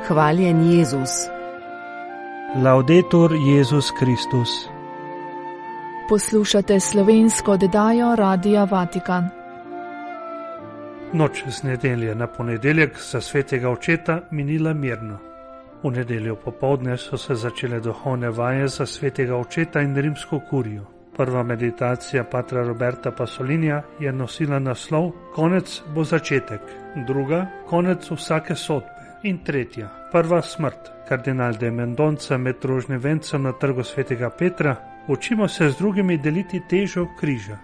Hvaljen Jezus. Laudetur Jezus Kristus. Poslušate slovensko oddajo Radia Vatikan. Noč z nedelje na ponedeljek za svetega očeta minila mirno. V nedeljo popoldne so se začele duhovne vaje za svetega očeta in rimsko kurijo. Prva meditacija patra Roberta Pasolinija je nosila naslov Konec bo začetek, druga Konec vsake sodbe in tretja Prva smrt. Kardinal de Mendonca med rožnim vencem na trgu svetega Petra: učimo se z drugimi deliti težo križa.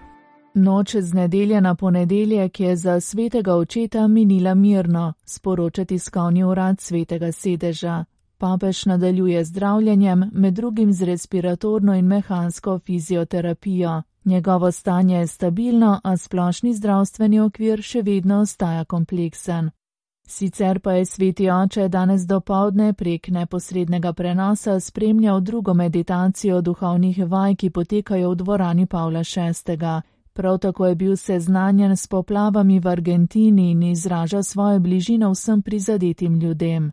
Noč z nedelje na ponedeljek je za svetega očeta minila mirno, sporoča tiskovni urad svetega sedeža. Papež nadaljuje zdravljenjem, med drugim z respiratorno in mehansko fizioterapijo. Njegovo stanje je stabilno, a splošni zdravstveni okvir še vedno ostaja kompleksen. Sicer pa je sveti oče danes dopoldne prek neposrednega prenosa spremljal drugo meditacijo duhovnih vaj, ki potekajo v dvorani Pavla VI. Prav tako je bil seznanjen s poplavami v Argentini in izraža svojo bližino vsem prizadetim ljudem.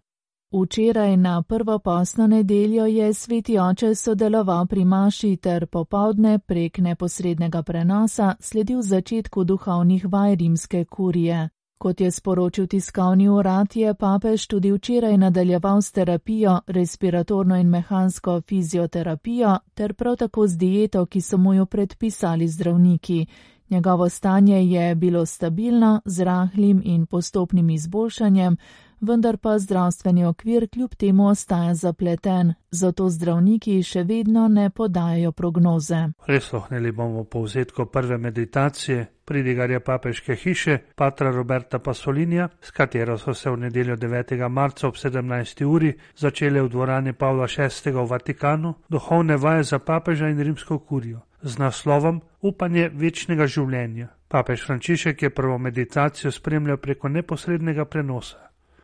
Včeraj na prvo postno nedeljo je sveti oče sodeloval pri maši ter popoldne prek neposrednega prenosa sledil začetku duhovnih vaj rimske kurije. Kot je sporočil tiskovni urad, je papež tudi včeraj nadaljeval s terapijo, respiratorno in mehansko fizioterapijo ter prav tako z dieto, ki so mu jo predpisali zdravniki. Njegovo stanje je bilo stabilno, z rahlim in postopnim izboljšanjem, vendar pa zdravstveni okvir kljub temu ostaja zapleten, zato zdravniki še vedno ne podajajo prognoze. Prisluhnili bomo povzetku prve meditacije pridigarja papeške hiše patra Roberta Pasolinija, s katero so se v nedeljo 9. marca ob 17. uri začele v dvorani Pavla VI. V Vatikanu duhovne vaje za papeža in rimsko kurijo z naslovom Upanje večnega življenja. Papež Frančišek je prvo meditacijo spremljal preko neposrednega prenosa.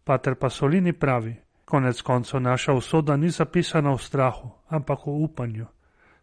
Pater Pasolini pravi: konec koncev naša usoda ni zapisana v strahu, ampak v upanju.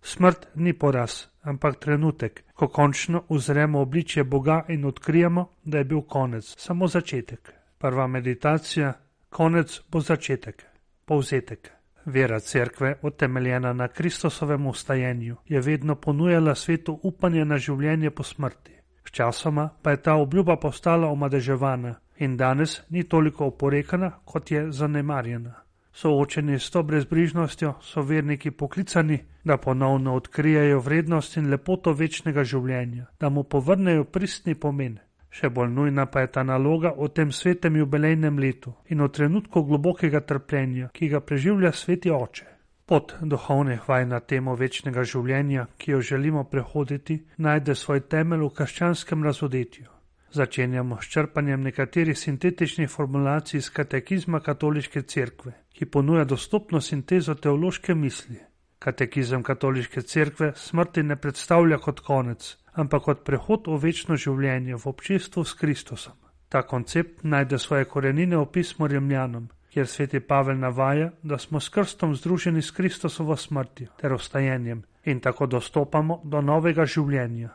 Smrt ni poraz, ampak trenutek, ko končno uzremo obličje Boga in odkrijemo, da je bil konec samo začetek. Prva meditacija: konec bo začetek. Povzetek. Vera cerkve, utemeljena na Kristusovem vstajenju, je vedno ponujala svetu upanje na življenje po smrti. Sčasoma pa je ta obljuba postala omadeževana in danes ni toliko oporekana, kot je zanemarjena. Soočeni s to brezbrižnostjo so verniki poklicani, da ponovno odkrijejo vrednost in lepoto večnega življenja, da mu povrnejo pristni pomen. Še bolj nujna pa je ta naloga v tem svetem jubilejnem letu in v trenutku globokega trpljenja, ki ga preživlja sveti oče. Pot duhovnih vaj na temo večnega življenja, ki jo želimo prehoditi, najde svoj temelj v krščanskem razodetju. Začenjamo s črpanjem nekaterih sintetičnih formulacij iz katekizma katoliške cerkve, ki ponuja dostopno sintezo teološke misli. Katekizem katoliške cerkve smrti ne predstavlja kot konec, ampak kot prehod v večno življenje v občestvu s Kristusom. Ta koncept najde svoje korenine v pismu Rimljanom, kjer sveti Pavel navaja, da smo s krstom združeni s Kristusovo smrtjo ter vstajenjem in tako dostopamo do novega življenja.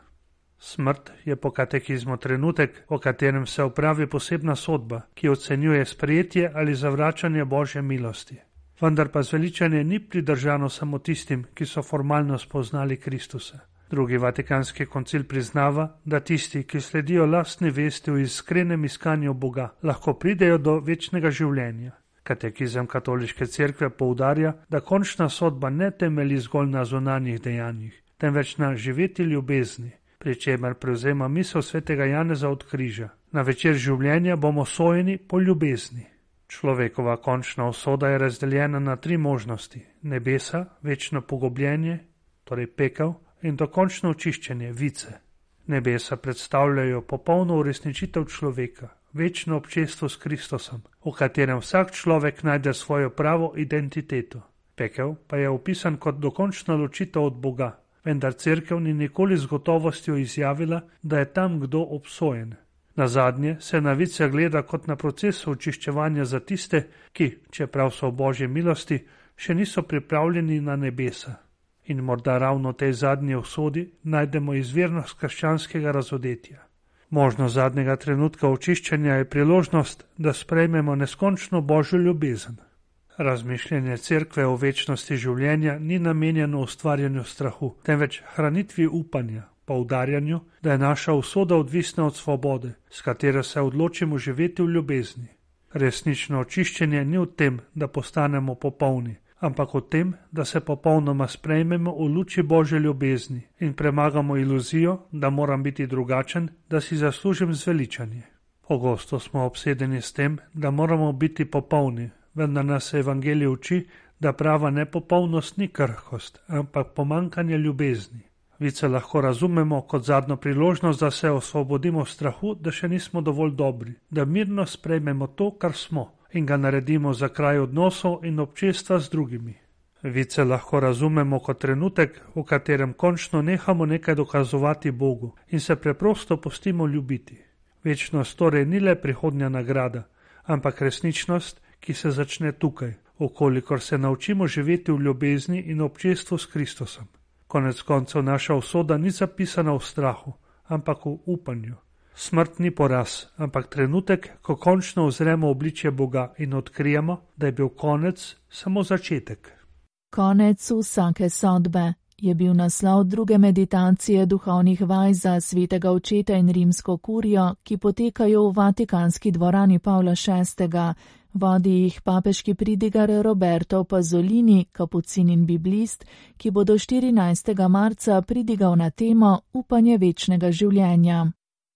Smrt je po katekizmu trenutek, v katerem se opravi posebna sodba, ki ocenjuje sprejetje ali zavračanje Božje milosti. Vendar pa zveličanje ni pridržano samo tistim, ki so formalno spoznali Kristusa. Drugi vatikanski koncil priznava, da tisti, ki sledijo lastni vesti v iskrenem iskanju Boga, lahko pridejo do večnega življenja. Katekizem katoliške cerkve poudarja, da končna sodba ne temelji zgolj na zunanjih dejanjih, temveč na živeti ljubezni, pri čemer prevzema misel svetega Janeza od križa. Na večer življenja bomo sojeni po ljubezni. Človekova končna usoda je razdeljena na 3 možnosti: nebesa, večno pogubljenje, torej pekel, in dokončno očiščenje, vice. Nebesa predstavljajo popolno uresničitev človeka, večno občestvo s Kristusom, v katerem vsak človek najde svojo pravo identiteto. Pekel pa je opisan kot dokončna ločitev od Boga, vendar cerkev ni nikoli z gotovostjo izjavila, da je tam kdo obsojen. Nazadnje se na vice gleda kot na proces očiščevanja za tiste, ki, čeprav so v Božji milosti, še niso pripravljeni na nebesa. In morda ravno v tej zadnji usodi najdemo izvirnost krščanskega razodetja. Možnost zadnjega trenutka očiščenja je priložnost, da sprejmemo neskončno Božjo ljubezen. Razmišljanje cerkve o večnosti življenja ni namenjeno ustvarjanju strahu, temveč hranitvi upanja, poudarjanju, da je naša usoda odvisna od svobode, s katero se odločimo živeti v ljubezni. Resnično očiščenje ni v tem, da postanemo popolni, ampak v tem, da se popolnoma sprejmemo v luči Božje ljubezni in premagamo iluzijo, da moram biti drugačen, da si zaslužim zveličanje. Pogosto smo obsedeni s tem, da moramo biti popolni, vendar nas evangelij uči, da prava nepopolnost ni krhkost, ampak pomanjkanje ljubezni. Vice lahko razumemo kot zadnjo priložnost, da se osvobodimo strahu, da še nismo dovolj dobri, da mirno sprejmemo to, kar smo, in ga naredimo za kraj odnosov in občestva z drugimi. Vice lahko razumemo kot trenutek, v katerem končno nehamo nekaj dokazovati Bogu in se preprosto pustimo ljubiti. Večnost torej ni le prihodnja nagrada, ampak resničnost, ki se začne tukaj, okolikor se naučimo živeti v ljubezni in občestvu s Kristusom. Konec koncev naša usoda ni zapisana v strahu, ampak v upanju. Smrt ni poraz, ampak trenutek, ko končno ozremo obličje Boga in odkrijemo, da je bil konec samo začetek. Konec vsake sodbe je bil naslov druge meditacije duhovnih vaj za svetega očeta in rimsko kurijo, ki potekajo v Vatikanski dvorani Pavla VI. Vodi jih papeški pridigar Roberto Pasolini, kapucin in biblist, ki bo do 14. marca pridigal na temo upanje večnega življenja.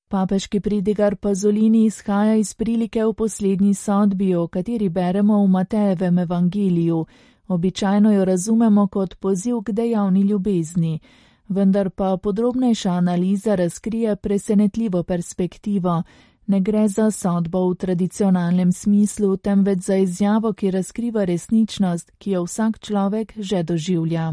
Papeški pridigar Pasolini izhaja iz prilike v poslednji sodbi, o kateri beremo v Matejevem evangeliju. Običajno jo razumemo kot poziv k dejavni ljubezni, vendar pa podrobnejša analiza razkrije presenetljivo perspektivo. Ne gre za sodbo v tradicionalnem smislu, temveč za izjavo, ki razkriva resničnost, ki jo vsak človek že doživlja.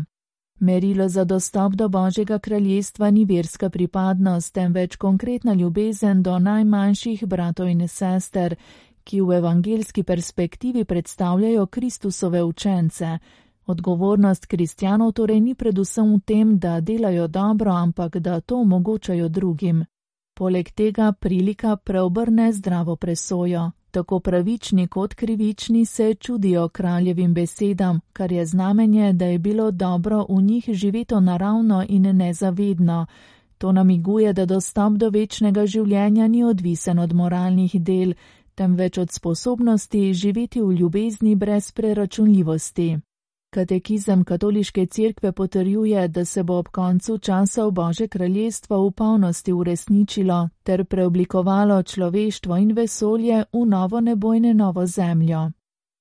Merilo za dostop do Božjega kraljestva ni verska pripadnost, temveč konkretna ljubezen do najmanjših bratov in sester, ki v evangeljski perspektivi predstavljajo Kristusove učence. Odgovornost kristjanov torej ni predvsem v tem, da delajo dobro, ampak da to omogočajo drugim. Poleg tega prilika preobrne zdravo presojo. Tako pravični kot krivični se čudijo kraljevim besedam, kar je znamenje, da je bilo dobro v njih živeto naravno in nezavedno. To namiguje, da dostop do večnega življenja ni odvisen od moralnih del, temveč od sposobnosti živeti v ljubezni brez preračunljivosti. Katekizem katoliške cerkve potrjuje, da se bo ob koncu časov Božje kraljestvo v polnosti uresničilo ter preoblikovalo človeštvo in vesolje v novo nebo in novo zemljo.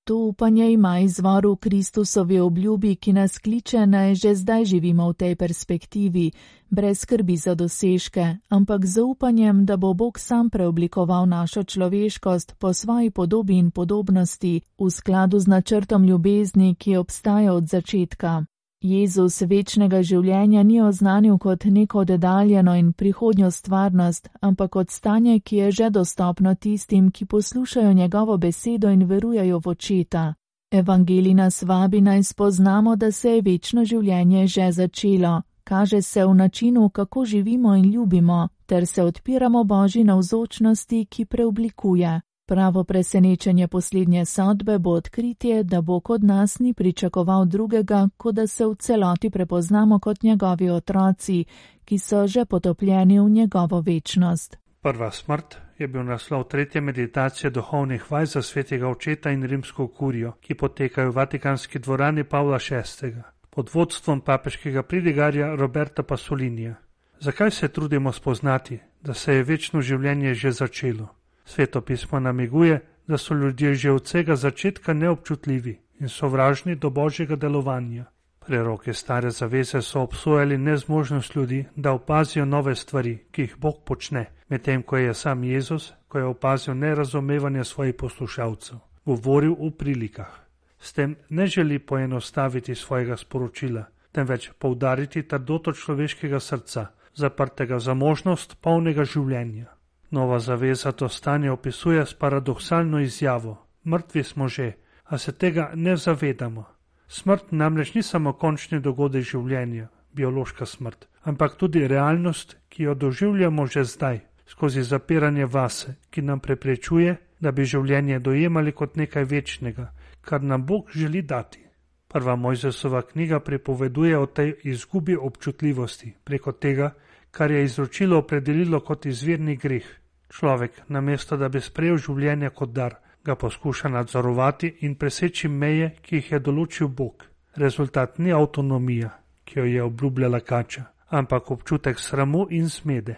To upanje ima izvor v Kristusovi obljubi, ki nas kliče, naj že zdaj živimo v tej perspektivi, brez skrbi za dosežke, ampak z upanjem, da bo Bog sam preoblikoval našo človeškost po svoji podobi in podobnosti v skladu z načrtom ljubezni, ki obstaja od začetka. Jezus večnega življenja ni oznanil kot neko oddaljeno in prihodnjo stvarnost, ampak kot stanje, ki je že dostopno tistim, ki poslušajo njegovo besedo in verujejo v Očeta. Evangelij nas vabi naj spoznamo, da se je večno življenje že začelo. Kaže se v načinu, kako živimo in ljubimo, ter se odpiramo Božji navzočnosti, ki preoblikuje. Pravo presenečenje poslednje sodbe bo odkritje, da Bog od nas ni pričakoval drugega, kot da se v celoti prepoznamo kot njegovi otroci, ki so že potopljeni v njegovo večnost. Prva smrt je bil naslov tretje meditacije duhovnih vaj za svetega očeta in rimsko kurijo, ki potekajo v Vatikanski dvorani Pavla VI. Pod vodstvom papeškega pridigarja Roberta Pasolinija. Zakaj se trudimo spoznati, da se je večno življenje že začelo? Sveto pismo namiguje, da so ljudje že od vsega začetka neobčutljivi in sovražni do Božjega delovanja. Preroki stare zaveze so obsojali nezmožnost ljudi, da opazijo nove stvari, ki jih Bog počne, medtem ko je sam Jezus, ko je opazil nerazumevanje svojih poslušalcev, govoril v prilikah. S tem ne želi poenostaviti svojega sporočila, temveč poudariti trdoto človeškega srca, zaprtega za možnost polnega življenja. Nova zaveza to stanje opisuje s paradoksalno izjavo: mrtvi smo že, a se tega ne zavedamo. Smrt namreč ni samo končni dogodek življenja, biološka smrt, ampak tudi realnost, ki jo doživljamo že zdaj, skozi zapiranje vase, ki nam preprečuje, da bi življenje dojemali kot nekaj večnega, kar nam Bog želi dati. Prva Mojzesova knjiga pripoveduje o tej izgubi občutljivosti preko tega, kar je izročilo opredelilo kot izvirni greh. Človek, namesto da bi sprejel življenje kot dar, ga poskuša nadzorovati in preseči meje, ki jih je določil Bog. Rezultat ni avtonomija, ki jo je obljubljala kača, ampak občutek sramu in zmede.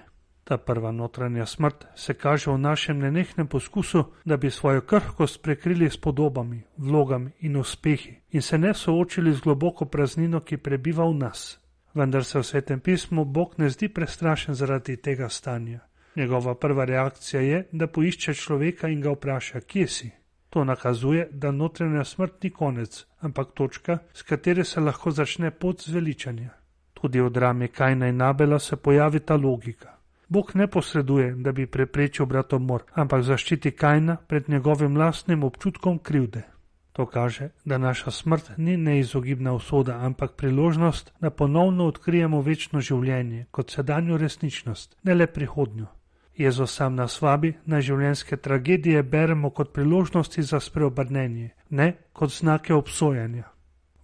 Ta prva notranja smrt se kaže v našem nenehnem poskusu, da bi svojo krhkost prekrili s podobami, vlogami in uspehi in se ne soočili z globoko praznino, ki prebiva v nas. Vendar se v Svetem pismu Bog ne zdi prestrašen zaradi tega stanja. Njegova prva reakcija je, da poišče človeka in ga vpraša, kje si. To nakazuje, da notranja smrt ni konec, ampak točka, s katere se lahko začne pot zveličanja. Tudi v drami Kajna in Abela se pojavi ta logika. Bog ne posreduje, da bi preprečil bratomor, ampak zaščiti Kajna pred njegovim lastnim občutkom krivde. To kaže, da naša smrt ni neizogibna usoda, ampak priložnost, da ponovno odkrijemo večno življenje kot sedanjo resničnost, ne le prihodnjo. Jezus sam nas vabi, na življenjske tragedije beremo kot priložnosti za spreobrnenje, ne kot znake obsojanja.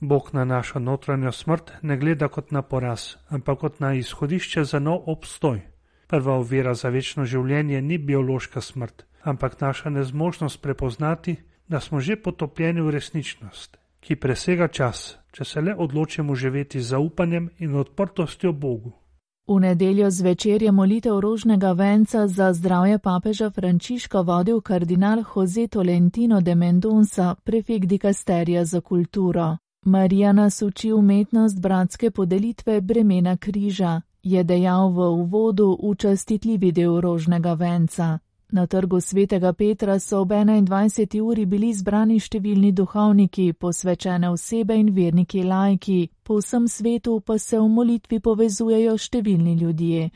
Bog na našo notranjo smrt ne gleda kot na poraz, ampak kot na izhodišče za nov obstoj. Prva ovira za večno življenje ni biološka smrt, ampak naša nezmožnost prepoznati, da smo že potopljeni v resničnost, ki presega čas, če se le odločimo živeti z zaupanjem in odprtostjo Bogu. V nedeljo zvečer je molitev rožnega venca za zdravje papeža Frančiška vodil kardinal José Tolentino de Mendonça, prefekt dikasterija za kulturo. Marija nas uči umetnost bratske podelitve bremena križa, je dejal v uvodu v častitljivi del rožnega venca. Na trgu svetega Petra so ob 21. uri bili zbrani številni duhovniki, posvečene osebe in verniki laiki, po vsem svetu pa se v molitvi povezujejo številni ljudje.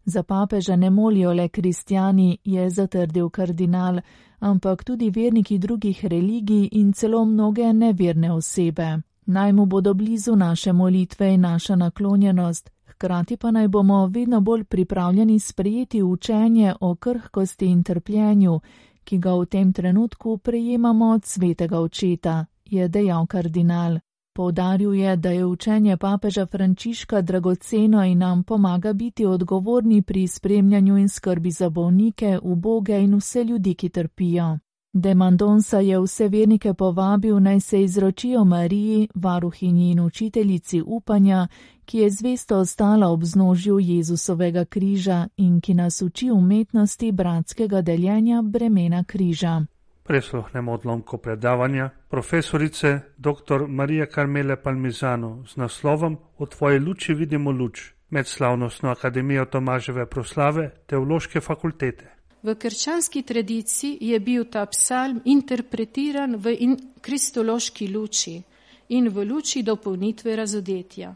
Za papeža ne molijo le kristjani, je zatrdil kardinal, ampak tudi verniki drugih religij in celo mnoge neverne osebe. Naj mu bodo blizu naše molitve in naša naklonjenost, hkrati pa naj bomo vedno bolj pripravljeni sprejeti učenje o krhkosti in trpljenju, ki ga v tem trenutku prejemamo od svetega očeta, je dejal kardinal. Poudaril je, da je učenje papeža Frančiška dragoceno in nam pomaga biti odgovorni pri spremljanju in skrbi za bolnike, uboge in vse ljudi, ki trpijo. De Mendonça je vse vernike povabil, naj se izročijo Mariji, varuhinji in učiteljici upanja, ki je zvesto ostala ob vznožju Jezusovega križa in ki nas uči umetnosti bratskega deljenja bremena križa. Prisluhnemo odlomku predavanja profesorice dr. Marije Carmele Palmisano z naslovom O tvoji luči vidimo luč med slavnostno akademijo Tomaževe proslave Teološke fakultete. V krščanski tradiciji je bil ta psalm interpretiran v kristološki luči in v luči dopolnitve razodetja.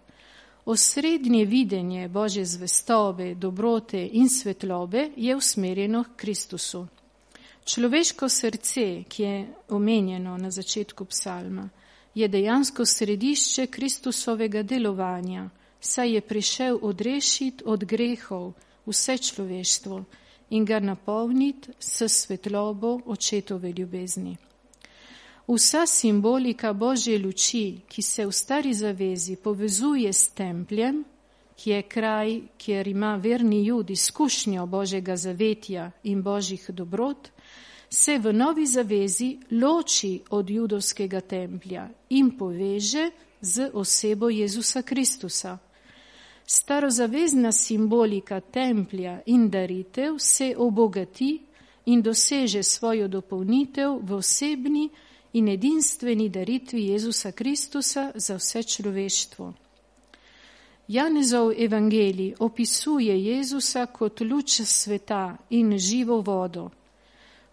Osrednje videnje Božje zvestobe, dobrote in svetlobe je usmerjeno k Kristusu. Človeško srce, ki je omenjeno na začetku psalma, je dejansko središče Kristusovega delovanja, saj je prišel odrešiti od grehov vse človeštvo in ga napolniti s svetlobo očetove ljubezni. Vsa simbolika Božje luči, ki se v stari zavezi povezuje s templjem, ki je kraj, kjer ima verni Jud izkušnjo Božjega zavetja in Božjih dobrot, se v novi zavezi loči od judovskega templja in poveže z osebo Jezusa Kristusa. Starozavezna simbolika templja in daritev se obogati in doseže svojo dopolnitev v osebni in edinstveni daritvi Jezusa Kristusa za vse človeštvo. Janezov evangelij opisuje Jezusa kot luč sveta in živo vodo.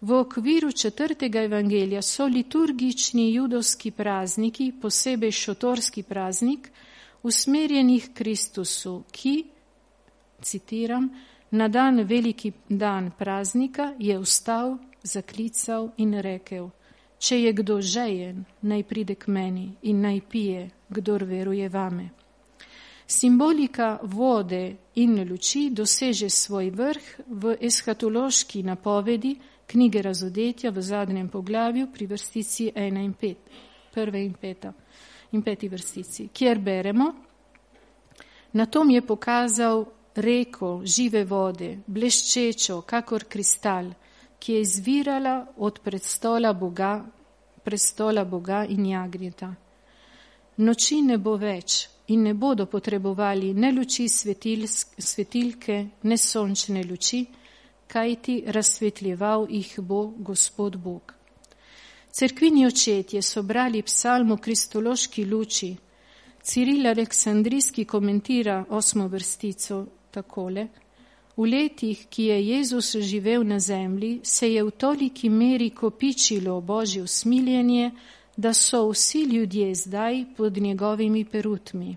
V okviru 4. evangelija so liturgični judovski prazniki, posebej šotorski praznik, usmerjenih Kristusu, ki, citiram, na dan veliki dan praznika je vstal, zaklical in rekel: če je kdo žejen, naj pride k meni in naj pije, kdor veruje vame. Simbolika vode in luči doseže svoj vrh v eshatološki napovedi knjige Razodetja v zadnjem poglavju pri vrstici 1 in 5, prve in 5. vrstici, kjer beremo: Na tom je pokazal reko žive vode, bleščečo, kakor kristal, ki je izvirala od prestola Boga in jagnjeta. Noči ne bo več in ne bodo potrebovali ne luči svetilke, ne sončne luči, kajti razsvetljeval jih bo Gospod Bog. Cerkvini očetje so brali psalm o kristološki luči. Ciril Aleksandrijski komentira 8. vrstico takole: V letih, ki je Jezus živel na zemlji, se je v toliki meri kopičilo Božje usmiljenje, da so vsi ljudje zdaj pod njegovimi perutmi.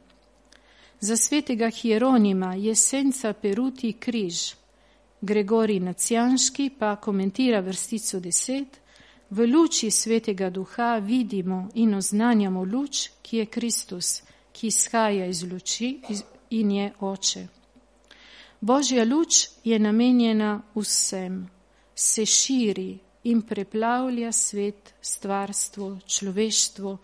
Za svetega Hieronima je senca peruti križ. Gregorij Nacijanški pa komentira vrstico 10: V luči svetega duha vidimo in oznanjamo luč, ki je Kristus, ki izhaja iz luči in je Oče. Božja luč je namenjena vsem, se širi in preplavlja svet, stvarstvo, človeštvo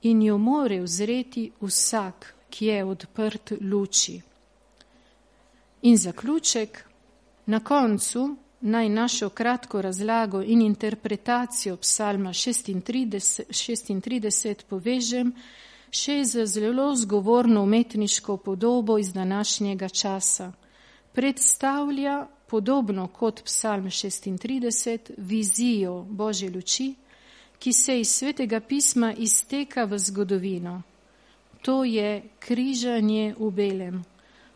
in jo more uzreti vsak, ki je odprt luči. In zaključek: na koncu naj našo kratko razlago in interpretacijo psalma 36 povežem še z zelo zgovorno umetniško podobo iz današnjega časa. Predstavlja, podobno kot psalm 36, vizijo Božje luči, ki se iz Svetega pisma izteka v zgodovino. To je križanje v belem.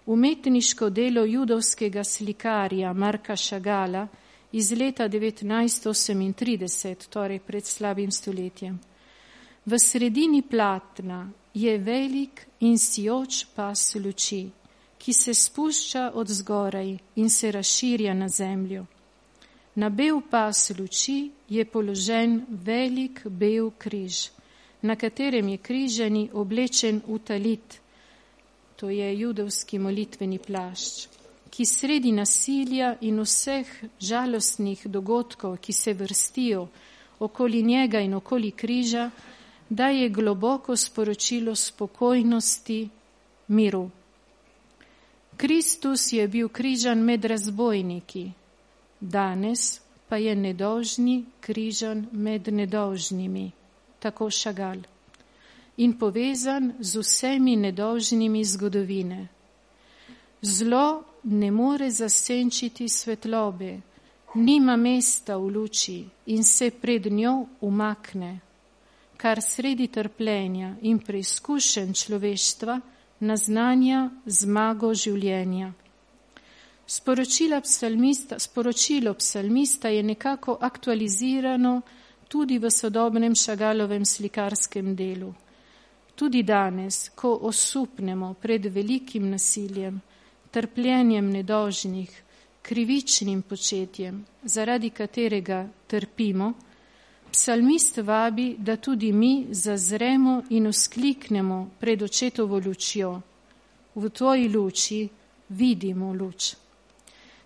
Umetniško delo judovskega slikarja Marka Šagala iz leta 1938, torej pred slabim stoletjem. V sredini platna je velik in sijoč pas luči, ki se spušča od zgoraj in se razširja na zemljo. Na bel pas luči je položen velik bel križ, na katerem je križani oblečen v talit, to je judovski molitveni plašč, ki sredi nasilja in vseh žalostnih dogodkov, ki se vrstijo okoli njega in okoli križa, daje globoko sporočilo spokojnosti, miru. Kristus je bil križan med razbojniki, danes pa je nedolžni križan med nedolžnimi, tako Šagal, in povezan z vsemi nedolžnimi zgodovine. Zlo ne more zasenčiti svetlobe, nima mesta v luči in se pred njo umakne, kar sredi trpljenja in preizkušenj človeštva naznanja zmago življenja. Sporočilo psalmista je nekako aktualizirano tudi v sodobnem Šagalovem slikarskem delu. Tudi danes, ko osupnemo pred velikim nasiljem, trpljenjem nedolžnih, krivičnim početjem, zaradi katerega trpimo, psalmist vabi, da tudi mi zazremo in vzkliknemo pred očetovo lučjo. V tvoji luči vidimo luč.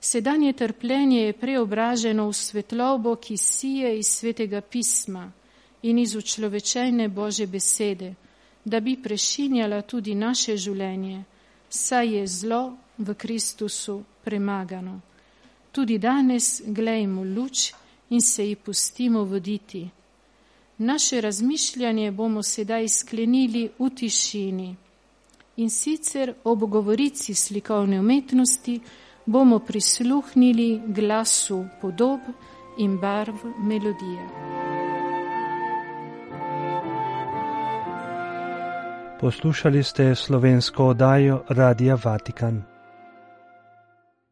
Sedanje trpljenje je preobraženo v svetlobo, ki sije iz Svetega pisma in iz učlovečene Božje besede, da bi prešinjala tudi naše življenje, saj je zlo v Kristusu premagano. Tudi danes glejmo luč in se ji pustimo voditi. Naše razmišljanje bomo sedaj sklenili v tišini in sicer ob govorici slikovne umetnosti bomo prisluhnili glasu podob in barv melodije. Poslušali ste slovensko oddajo Radia Vatikan.